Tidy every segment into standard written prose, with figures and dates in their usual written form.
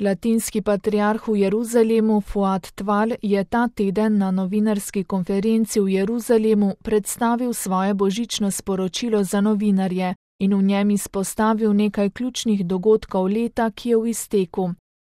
Latinski patriarh v Jeruzalemu Fuad Tval je ta teden na novinarski konferenci v Jeruzalemu predstavil svoje božično sporočilo za novinarje in v njem izpostavil nekaj ključnih dogodkov leta, ki je v izteku.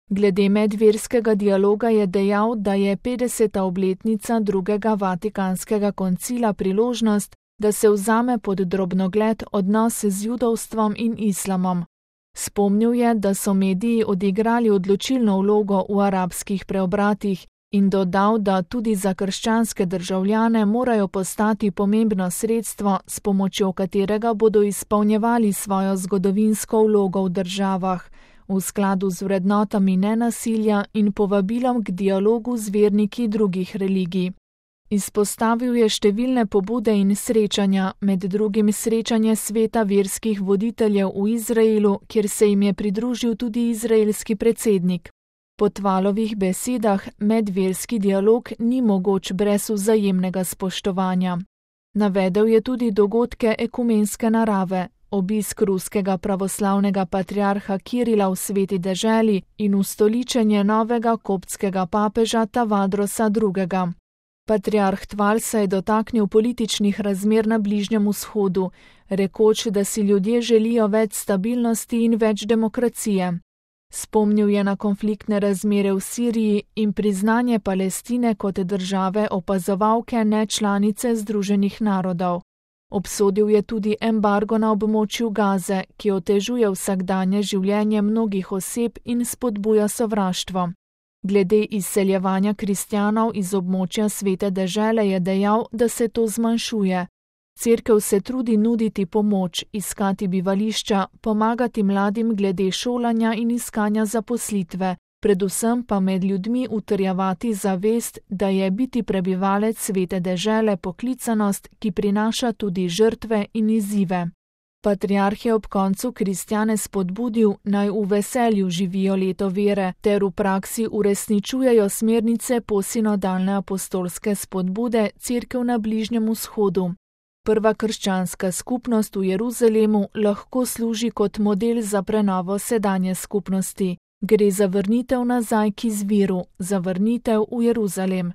Glede medverskega dialoga je dejal, da je 50. obletnica drugega Vatikanskega koncila priložnost, da se vzame pod drobnogled odnose z judovstvom in islamom. Spomnil je, da so mediji odigrali odločilno vlogo v arabskih preobratih in dodal, da tudi za krščanske državljane morajo postati pomembno sredstvo, s pomočjo katerega bodo izpolnjevali svojo zgodovinsko vlogo v državah, v skladu z vrednotami nenasilja in povabilom k dialogu z verniki drugih religij. Izpostavil je številne pobude in srečanja, med drugim srečanje sveta verskih voditeljev v Izraelu, kjer se jim je pridružil tudi izraelski predsednik. Po Tvalovih besedah medverski dialog ni mogoč brez vzajemnega spoštovanja. Navedel je tudi dogodke ekumenske narave, obisk ruskega pravoslavnega patriarha Kirila v Sveti deželi in ustoličenje novega koptskega papeža Tavadrosa II. Patriarh Tval se je dotaknil političnih razmer na Bližnjem vzhodu, rekoč, da si ljudje želijo več stabilnosti in več demokracije. Spomnil je na konfliktne razmere v Siriji in priznanje Palestine kot države opazovalke nečlanice Združenih narodov. Obsodil je tudi embargo na območju Gaze, ki otežuje vsakdanje življenje mnogih oseb in spodbuja sovraštvo. Glede izseljevanja kristjanov iz območja Svete dežele je dejal, da se to zmanjšuje. Cerkev se trudi nuditi pomoč, iskati bivališča, pomagati mladim glede šolanja in iskanja zaposlitve, predvsem pa med ljudmi utrjevati zavest, da je biti prebivalec Svete dežele poklicanost, ki prinaša tudi žrtve in izzive. Patriarh je ob koncu kristjane spodbudil, naj v veselju živijo leto vere ter v praksi uresničujejo smernice posinodalne apostolske spodbude Cerkev na Bližnjem vzhodu. Prva krščanska skupnost v Jeruzalemu lahko služi kot model za prenovo sedanje skupnosti. Gre za vrnitev nazaj k izviru, za vrnitev v Jeruzalem.